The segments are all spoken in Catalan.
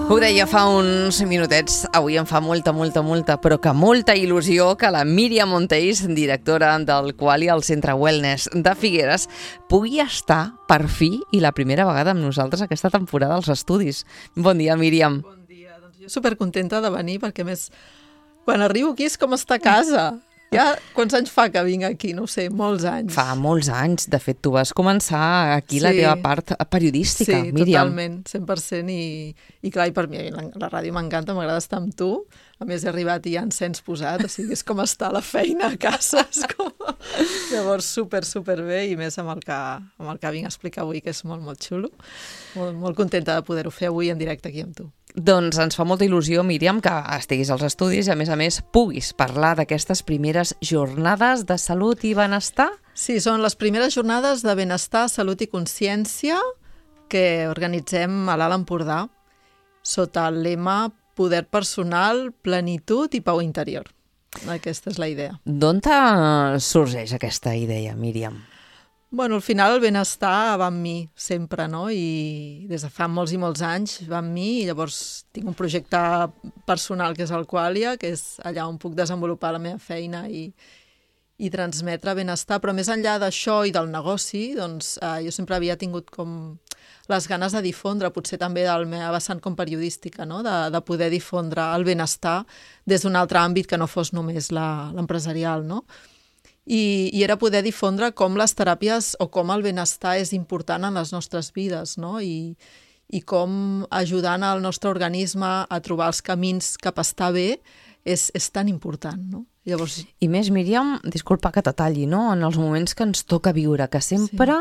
Ho deia fa uns minutets, avui em fa molta, però que molta il·lusió que la Míriam Monteis, directora del Qualia al Centre Wellness de Figueres, pugui estar per fi i la primera vegada amb nosaltres aquesta temporada als estudis. Bon dia, Míriam. Bon dia. Doncs jo supercontenta de venir perquè, a més, quan arribo aquí és com estar a casa. Ja, quants anys fa que vinc aquí? No ho sé, molts anys. Fa molts anys. De fet, tu vas començar aquí la teva part periodística, Míriam. Sí, totalment, 100%. I clar, i per mi la ràdio m'encanta, m'agrada estar amb tu. A més, he arribat i hi ha encens posat, o sigui, és com estar a la feina a casa. Llavors, super bé, i més amb el que vinc a explicar avui, que és molt xulo. Molt contenta de poder-ho fer avui en directe aquí amb tu. Doncs ens fa molta il·lusió, Míriam, que estiguis als estudis i, a més, puguis parlar d'aquestes primeres jornades de salut i benestar. Sí, són les primeres jornades de benestar, salut i consciència que organitzem a l'Alt Empordà sota el lema Poder personal, plenitud i pau interior. Aquesta és la idea. D'on sorgeix aquesta idea, Míriam? Bueno, al final el benestar va amb mi sempre, no? I des de fa molts i molts anys va amb mi, i llavors tinc un projecte personal que és el Qualia, que és allà on puc desenvolupar la meva feina i transmetre benestar, però més enllà d'això i del negoci, doncs jo sempre havia tingut com les ganes de difondre, potser també del meu vessant com periodística, no? De poder difondre el benestar des d'un altre àmbit que no fos només l'empresarial, no? I era poder difondre com les teràpies o com el benestar és important en les nostres vides, no? I com ajudant el nostre organisme a trobar els camins cap a estar bé és tan important, no? Llavors... I més, Míriam, disculpa que te talli, no? En els moments que ens toca viure, que sempre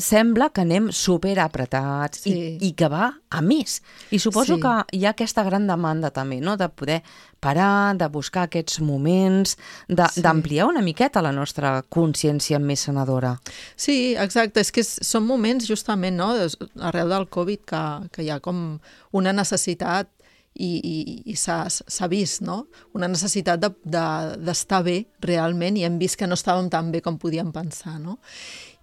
sembla que anem superapretats i que va a més. I suposo que hi ha aquesta gran demanda també, no? De poder parar, de buscar aquests moments, d'ampliar una miqueta la nostra consciència més sanadora. Sí, exacte. És que són moments, justament, no? Arrel del Covid, que hi ha com una necessitat i s'ha vist, no? Una necessitat d'estar bé realment, i hem vist que no estàvem tan bé com podíem pensar, no?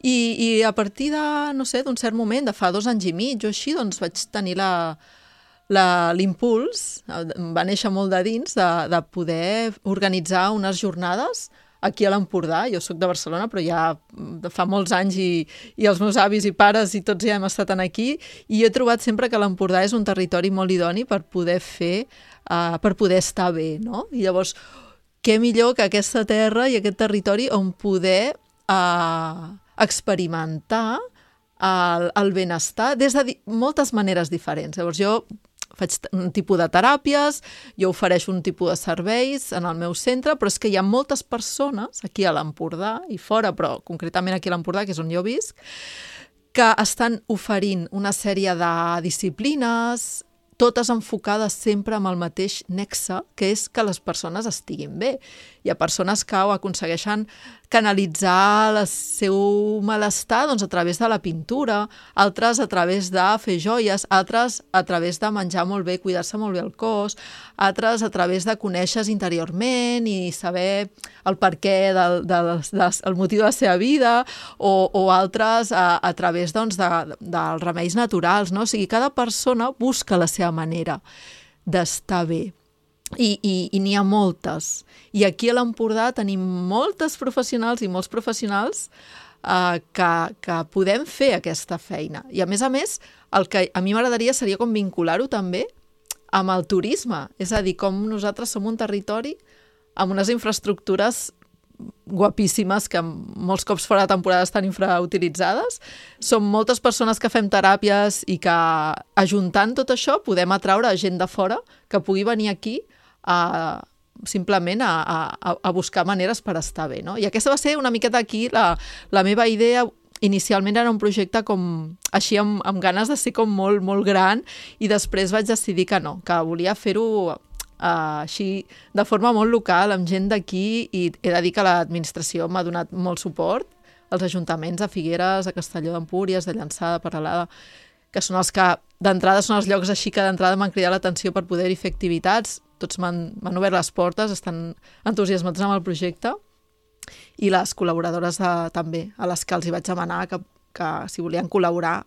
I a partir d'un cert moment, de fa 2 anys i mig o així, doncs vaig tenir l'impuls, va néixer molt de dins, de poder organitzar unes jornades aquí a l'Empordà. Jo soc de Barcelona, però ja fa molts anys i els meus avis i pares i tots ja hem estat aquí, i he trobat sempre que l'Empordà és un territori molt idoni per poder fer, per poder estar bé, no? I llavors, què millor que aquesta terra i aquest territori on poder experimentar el benestar des de moltes maneres diferents. Llavors, jo faig un tipus de teràpies, jo ofereixo un tipus de serveis en el meu centre, però és que hi ha moltes persones aquí a l'Empordà i fora, però concretament aquí a l'Empordà, que és on jo visc, que estan oferint una sèrie de disciplines, totes enfocades sempre amb el mateix nexe, que és que les persones estiguin bé. Hi ha persones que ho aconsegueixen canalitzar el seu malestar a través de la pintura, altres a través de fer joies, altres a través de menjar molt bé, cuidar-se molt bé el cos, altres a través de conèixer-se interiorment i saber el perquè el motiu de la seva vida, o altres a través dels remeis naturals, no? O sigui, cada persona busca la seva manera d'estar bé. I n'hi ha moltes. I aquí a l'Empordà tenim moltes professionals i molts professionals que podem fer aquesta feina. I a més, el que a mi m'agradaria seria com vincular-ho també amb el turisme. És a dir, com nosaltres som un territori amb unes infraestructures guapíssimes que molts cops fora de temporada estan infrautilitzades. Som moltes persones que fem teràpies i que, ajuntant tot això, podem atraure gent de fora que pugui venir aquí simplement a buscar maneres per estar bé, no? I aquesta va ser una miqueta aquí la meva idea. Inicialment era un projecte com així amb ganes de ser com molt, molt gran, i després vaig decidir que no, que volia fer-ho així de forma molt local, amb gent d'aquí, i he de dir que l'administració m'ha donat molt suport, els ajuntaments de Figueres, de Castelló d'Empúries, de Llançà, de Peralada, que són els que d'entrada són els llocs així que d'entrada m'han cridat l'atenció per poder-hi fer activitats. Tots m'han obert les portes, estan entusiasmats amb el projecte, i les col·laboradores també, a les que els hi vaig demanar que si volien col·laborar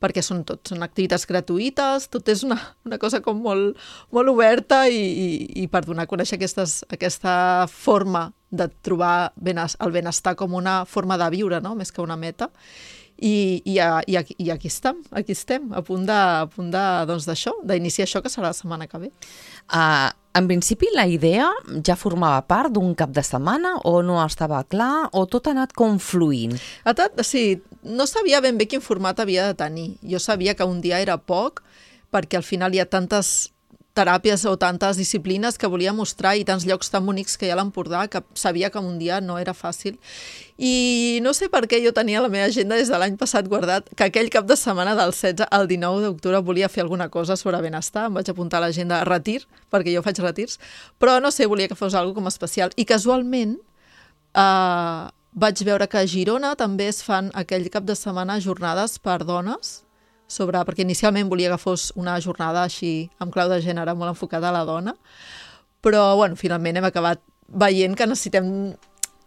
perquè són activitats gratuïtes, tot és una cosa com molt, molt oberta i per donar a conèixer aquesta forma de trobar el benestar com una forma de viure, no? Més que una meta. I aquí estem, a punt d'això, d'iniciar això que serà la setmana que ve. En principi la idea ja formava part d'un cap de setmana o no estava clar o tot ha anat confluint? Sí, no sabia ben bé quin format havia de tenir. Jo sabia que un dia era poc perquè al final hi ha tantes teràpies o tantes disciplines que volia mostrar i tants llocs tan bonics que hi ha a l'Empordà que sabia que un dia no era fàcil. I no sé per què jo tenia la meva agenda des de l'any passat guardat que aquell cap de setmana del 16 al 19 d'octubre volia fer alguna cosa sobre benestar. Em vaig apuntar a l'agenda retir, perquè jo faig retirs, però no sé, volia que fos alguna com especial. I casualment vaig veure que a Girona també es fan aquell cap de setmana jornades per dones, perquè inicialment volia que fos una jornada així amb clau de gènere molt enfocada a la dona, però bueno, finalment hem acabat veient que necessitem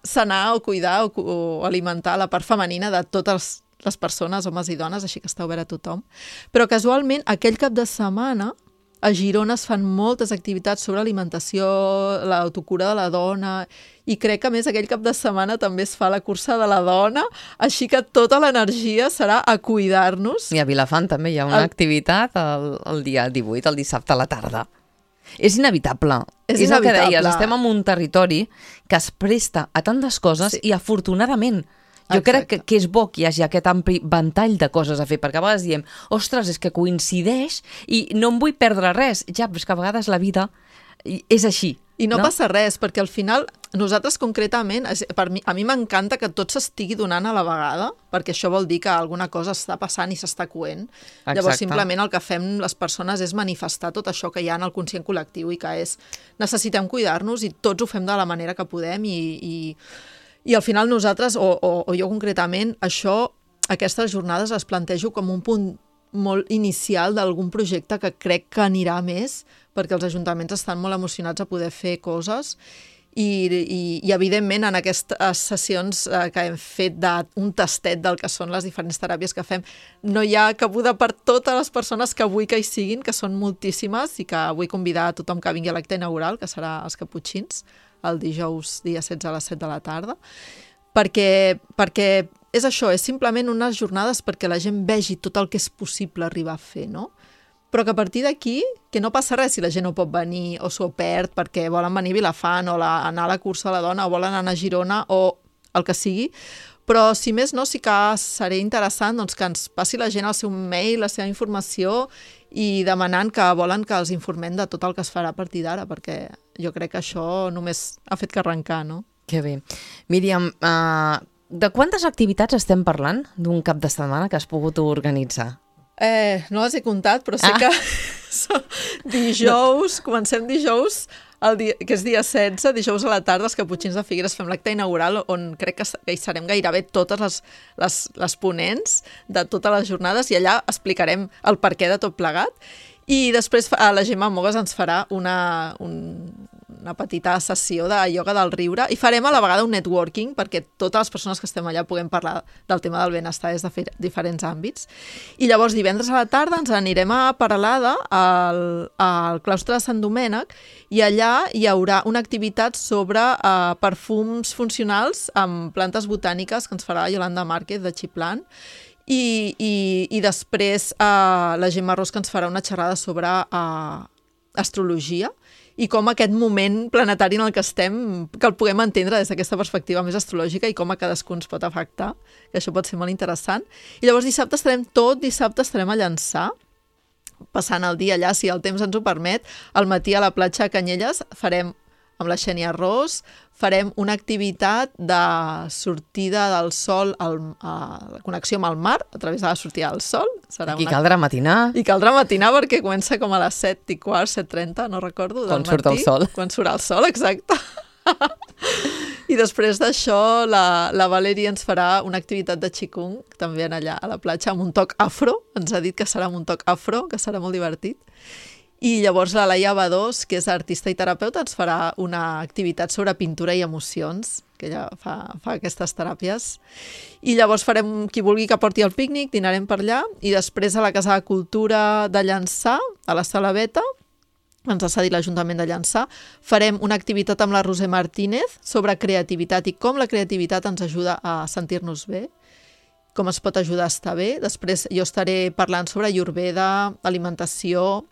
sanar o cuidar o alimentar la part femenina de totes les persones, homes i dones, així que està obert a tothom. Però casualment aquell cap de setmana a Girona es fan moltes activitats sobre alimentació, l'autocura de la dona, i crec que a més aquell cap de setmana també es fa la cursa de la dona, així que tota l'energia serà a cuidar-nos. I a Vilafant també hi ha una activitat el dia 18, el dissabte a la tarda. És inevitable. És el que deies, estem en un territori que es presta a tantes coses i afortunadament jo crec que és bo que hi hagi aquest ampli ventall de coses a fer, perquè a vegades diem, ostres, és que coincideix i no em vull perdre res. Ja, però és que a vegades la vida és així. I no passa res, perquè al final nosaltres concretament, a mi m'encanta que tot s'estigui donant a la vegada, perquè això vol dir que alguna cosa està passant i s'està coent. Exacte. Llavors simplement el que fem les persones és manifestar tot això que hi ha en el conscient col·lectiu i que és necessitem cuidar-nos i tots ho fem de la manera que podem i al final nosaltres, o jo concretament, aquestes jornades les plantejo com un punt molt inicial d'algun projecte que crec que anirà més, perquè els ajuntaments estan molt emocionats a poder fer coses i evidentment en aquestes sessions que hem fet d'un tastet del que són les diferents teràpies que fem, no hi ha cabuda per totes les persones que vull que hi siguin, que són moltíssimes i que vull convidar a tothom que vingui a l'acte inaugural, que serà els Caputxins, el dijous dia 16 a les 7 de la tarda, perquè és això, és simplement unes jornades perquè la gent vegi tot el que és possible arribar a fer, no? Però que a partir d'aquí, que no passa res si la gent no pot venir o s'ho perd perquè volen venir a Vilafant o anar a la cursa de la dona o volen anar a Girona o el que sigui, però si més no, sí que seré interessant doncs, que ens passi la gent el seu mail, la seva informació i demanant que volen que els informem de tot el que es farà a partir d'ara, perquè jo crec que això només ha fet que arrencar, no? Que bé. Míriam, de quantes activitats estem parlant d'un cap de setmana que has pogut organitzar? No les he comptat, però sé que dijous, comencem dijous, que és dia 16, dijous a la tarda, els Caputxins de Figueres fem l'acte inaugural on crec que hi serem gairebé totes les ponents de totes les jornades i allà explicarem el perquè de tot plegat. I després la Gemma Mogues ens farà una petita sessió de ioga del riure i farem a la vegada un networking perquè totes les persones que estem allà puguem parlar del tema del benestar des de diferents àmbits. I llavors divendres a la tarda ens anirem a Peralada al claustre de Sant Domènec i allà hi haurà una activitat sobre perfums funcionals amb plantes botàniques que ens farà Yolanda Márquez de Xiplant. I després la Gemma Ros que ens farà una xerrada sobre astrologia i com aquest moment planetari en el que estem, que el puguem entendre des d'aquesta perspectiva més astrològica i com a cadascú ens pot afectar, que això pot ser molt interessant. I llavors dissabte estarem a Llançà, passant el dia allà, si el temps ens ho permet. Al matí a la platja de Canyelles farem amb la Xènia Ros, farem una activitat de sortida del sol, la connexió amb el mar, a través de la sortida del sol. I caldrà matinar. I caldrà matinar perquè comença com a les 7:15, 7:30, no recordo, del matí. Quan surt el sol. Quan surt el sol, exacte. I després d'això la Valeria ens farà una activitat de Qigong, també allà a la platja, amb un toc afro. Ens ha dit que serà amb un toc afro, que serà molt divertit. I llavors la Laia Badós, que és artista i terapeuta, ens farà una activitat sobre pintura i emocions. que ella fa aquestes teràpies. I llavors farem, qui vulgui que porti el pícnic, dinarem per allà, i després a la Casa de Cultura de Llançà, a la Sala Beta, ens ha cedit l'Ajuntament de Llançà, farem una activitat amb la Roser Martínez sobre creativitat i com la creativitat ens ajuda a sentir-nos bé, com es pot ajudar a estar bé. Després jo estaré parlant sobre Ayurveda, alimentació,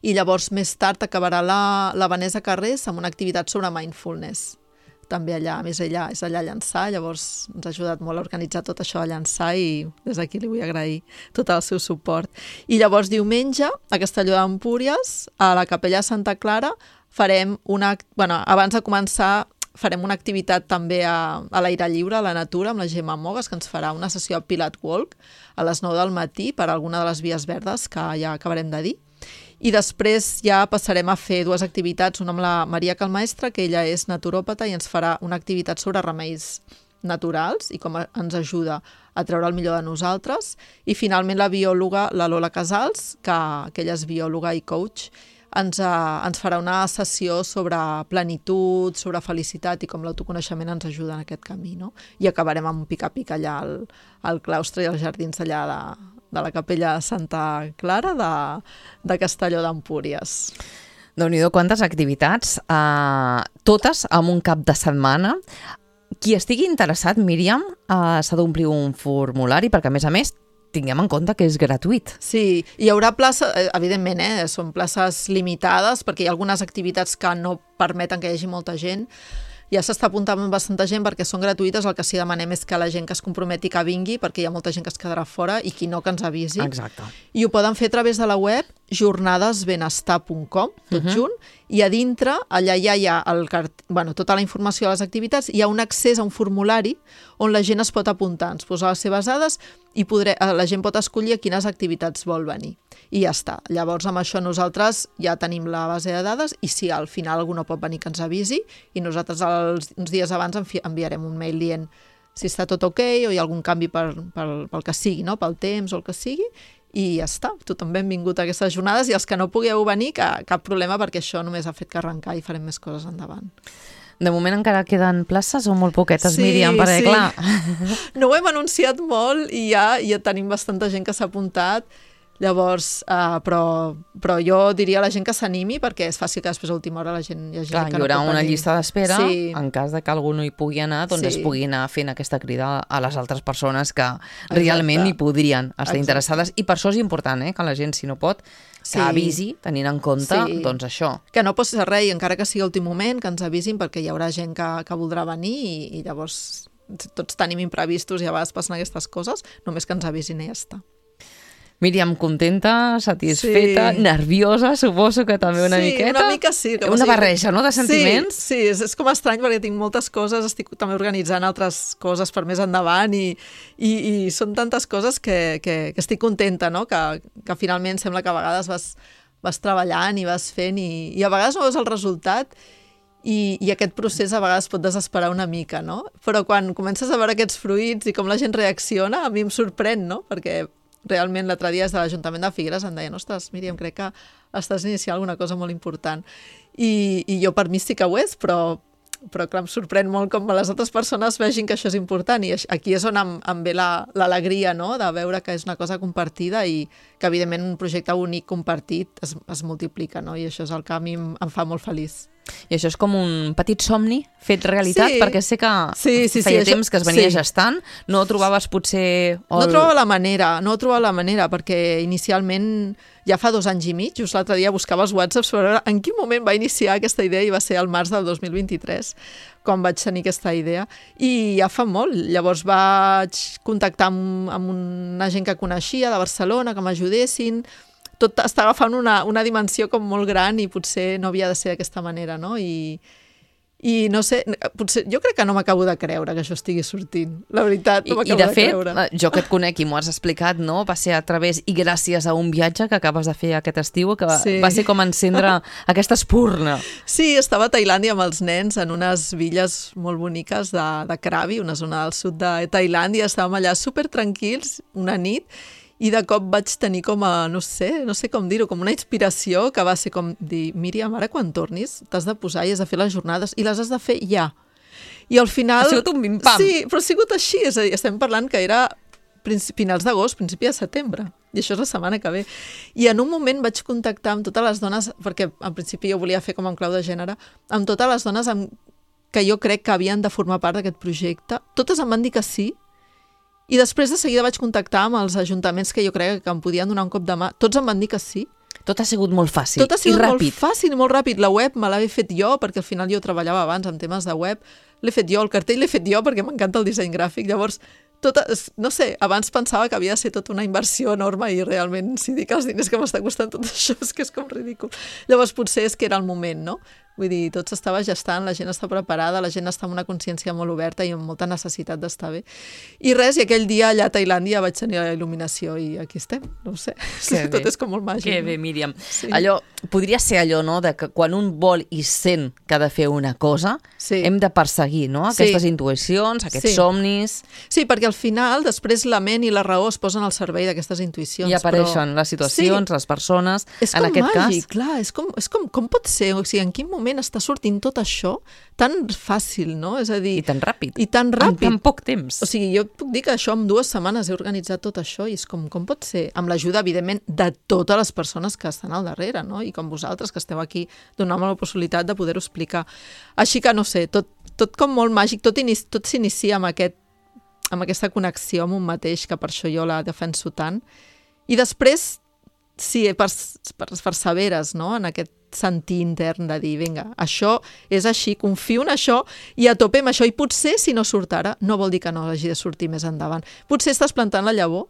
i llavors més tard acabarà la Vanessa Carrés amb una activitat sobre mindfulness. També allà, a més ella és allà a Llançà, llavors ens ha ajudat molt a organitzar tot això a Llançà i des d'aquí li vull agrair tot el seu suport. I llavors diumenge, a Castelló d'Empúries, a la Capella Santa Clara, farem abans de començar, farem una activitat també a l'aire lliure, a la natura, amb la Gemma Mogues, que ens farà una sessió de Pilat Walk a les 9 del matí per alguna de les vies verdes que ja acabarem de dir. I després ja passarem a fer 2 activitats, una amb la Maria Calmaestra, que ella és naturòpata i ens farà una activitat sobre remeis naturals i com ens ajuda a treure el millor de nosaltres. I finalment la biòloga, la Lola Casals, que ella és biòloga i coach, ens farà una sessió sobre plenitud, sobre felicitat i com l'autoconeixement ens ajuda en aquest camí, no? I acabarem amb un pica-pica allà al claustre i als jardins allà de la Capella Santa Clara de Castelló d'Empúries. Déu-n'hi-do, quantes activitats, totes en un cap de setmana. Qui estigui interessat, Míriam, s'ha d'omplir un formulari, perquè a més, tinguem en compte que és gratuït. Sí, hi haurà places, evidentment, són places limitades, perquè hi ha algunes activitats que no permeten que hi hagi molta gent. Ja s'està apuntant bastanta gent perquè són gratuïtes, el que sí demanem és que la gent que es comprometi que vingui, perquè hi ha molta gent que es quedarà fora i qui no que ens avisi. Exacte. I ho poden fer a través de la web jornadesbenestar.com, tot junt, i a dintre, allà ja hi ha tota la informació de les activitats, hi ha un accés a un formulari on la gent es pot apuntar, ens posa les seves dades i la gent pot escollir a quines activitats vol venir. I ja està. Llavors, amb això nosaltres ja tenim la base de dades i si al final algú no pot venir que ens avisi i nosaltres uns dies abans enviarem un mail dient si està tot ok o hi ha algun canvi pel que sigui, no? Pel temps o el que sigui, i ja està. Tothom benvingut a aquestes jornades i els que no pugueu venir, cap problema, perquè això només ha fet que arrencar i farem més coses endavant. De moment encara queden places o molt poquetes, Míriam, perquè clar... No ho hem anunciat molt i ja tenim bastanta gent que s'ha apuntat. Llavors, però jo diria a la gent que s'animi perquè és fàcil que després a última hora la gent hi hagi clar, que no pot venir. Hi haurà una llista d'espera, en cas de que algú no hi pugui anar, doncs es pugui anar fent aquesta crida a les altres persones que realment hi podrien estar interessades. I per això és important, que la gent, si no pot, que avisi, tenint en compte doncs això. Que no posi res, encara que sigui últim moment, que ens avisin perquè hi haurà gent que voldrà venir i llavors tots tenim imprevistos i a vegades passen aquestes coses, només que ens avisin i ja està. Míriam, contenta, satisfeta, nerviosa, suposo que també una miqueta. Sí, una mica sí. Una barreja, no?, de sentiments. Sí, és com estrany perquè tinc moltes coses, estic també organitzant altres coses per més endavant i són tantes coses que estic contenta, no?, que finalment sembla que a vegades vas treballant i vas fent i a vegades no veus el resultat i aquest procés a vegades pot desesperar una mica, no? Però quan comences a veure aquests fruits i com la gent reacciona, a mi em sorprèn, no?, perquè realment l'altre dia des de l'Ajuntament de Figueres em deien, ostres, Míriam, crec que estàs iniciant alguna cosa molt important. I jo per mi sí que ho és, però clar, em sorprèn molt com les altres persones vegin que això és important i aquí és on em ve l'alegria, no?, de veure que és una cosa compartida i que evidentment un projecte únic compartit es multiplica, no?, i això és el que a mi em fa molt feliç. I això és com un petit somni fet realitat, perquè sé que feia temps que es venia gestant, no trobaves potser... No trobava la manera, perquè inicialment ja fa 2 anys i mig, just l'altre dia buscava els whatsapps per veure en quin moment va iniciar aquesta idea i va ser al març del 2023 quan vaig tenir aquesta idea i ja fa molt. Llavors vaig contactar amb una gent que coneixia de Barcelona que m'ajudessin. Tot està agafant una dimensió com molt gran i potser no havia de ser d'aquesta manera, no? I no sé, potser jo crec que no m'acabo de creure que això estigui sortint. La veritat, no m'acabo de creure. I de fet, jo que et conec i m'ho has explicat, no? Va ser a través i gràcies a un viatge que acabes de fer aquest estiu, que va ser com encendre aquesta espurna. Sí, estava a Tailàndia amb els nens en unes illes molt boniques de Krabi, una zona del sud de Tailàndia. Estàvem allà supertranquils una nit i de cop vaig tenir com a, no sé com dir-ho, com una inspiració que va ser com dir, Míriam, ara quan tornis t'has de posar i has de fer les jornades i les has de fer ja. I al final... Ha sigut un bim-pam. Sí, però ha sigut així, és a dir, estem parlant que era finals d'agost, principi de setembre, i això és la setmana que ve. I en un moment vaig contactar amb totes les dones, perquè al principi jo volia fer com en clau de gènere, amb totes les dones que jo crec que havien de formar part d'aquest projecte. Totes em van dir que sí, i després de seguida vaig contactar amb els ajuntaments que jo crec que em podien donar un cop de mà. Tots em van dir que sí. Tot ha sigut molt fàcil i ràpid. Tot ha sigut molt fàcil i molt ràpid. La web me l'he fet jo, perquè al final jo treballava abans amb temes de web. L'he fet jo, el cartell l'he fet jo perquè m'encanta el disseny gràfic. Llavors, no sé, abans pensava que havia de ser tota una inversió enorme i realment, si dic els diners que m'està costant tot això, és que és com ridícul. Llavors, potser és que era el moment, no? Vull dir, tot s'estava gestant, la gent està preparada, la gent està amb una consciència molt oberta i amb molta necessitat d'estar bé. I res, i aquell dia allà a Tailàndia vaig tenir la il·luminació i aquí estem, no ho sé. Tot és com molt màgic. Que bé, Míriam. Sí. Allò, podria ser allò, no?, de que quan un vol i sent que ha de fer una cosa, hem de perseguir, no?, aquestes intuïcions, aquests somnis... Sí, perquè al final, després la ment i la raó es posen al servei d'aquestes intuïcions. I apareixen les situacions, les persones, en aquest cas. És com màgic, clar, com pot ser? O sigui, en quin moment està sortint tot això tan fàcil, no? És a dir... I tan ràpid. En tan poc temps. O sigui, jo puc dir que això en 2 setmanes he organitzat tot això i és com pot ser? Amb l'ajuda, evidentment, de totes les persones que estan al darrere, no? I com vosaltres, que esteu aquí, donant-me la possibilitat de poder-ho explicar. Així que, no sé, tot com molt màgic, tot s'inicia amb aquesta connexió amb un mateix, que per això jo la defenso tant. I després, sí, perseveres, no?, en aquest sentir intern de dir, vinga, això és així, confio en això i a tope amb això. I potser, si no surt ara, no vol dir que no hagi de sortir més endavant. Potser estàs plantant la llavor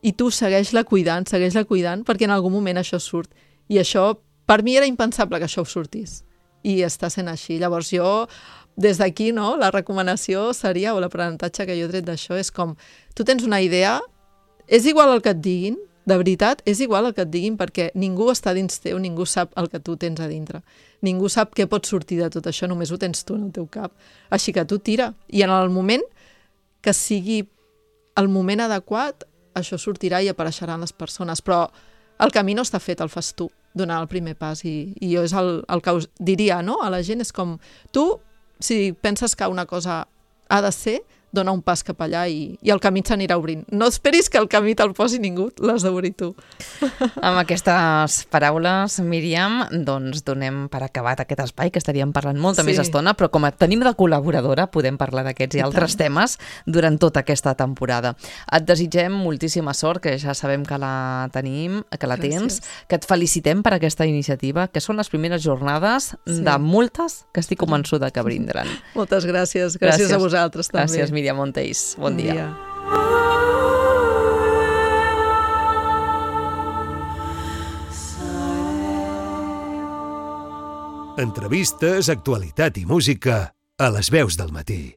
i tu segueix-la cuidant, perquè en algun moment això surt. I això, per mi era impensable que això sortís. I està sent així. Llavors jo, des d'aquí, no, la recomanació seria, o l'aprenentatge que jo he tret d'això, és com, tu tens una idea, és igual el que et diguin, de veritat, és igual el que et diguin, perquè ningú està dins teu, ningú sap el que tu tens a dintre. Ningú sap què pot sortir de tot això, només ho tens tu en el teu cap. Així que tu tira. I en el moment que sigui el moment adequat, això sortirà i apareixeran les persones. Però el camí no està fet, el fas tu, donant el primer pas. I jo és el que us diria, no?, a la gent, és com, tu, si penses que una cosa ha de ser, dona un pas cap allà i el camí s'anirà obrint. No esperis que el camí te'l posi ningú, l'has d'obrir tu. Amb aquestes paraules, Míriam, doncs donem per acabat aquest espai, que estaríem parlant molta més estona, però com tenim de col·laboradora, podem parlar d'aquests i altres temes durant tota aquesta temporada. Et desitgem moltíssima sort, que ja sabem que la tenim, que la tens, que et felicitem per aquesta iniciativa, que són les primeres jornades de moltes que estic convençuda que brindran. Moltes gràcies. Gràcies a vosaltres també. Gràcies, Míriam Monteys. Bon dia. Entrevistes, actualitat i música a les veus del matí.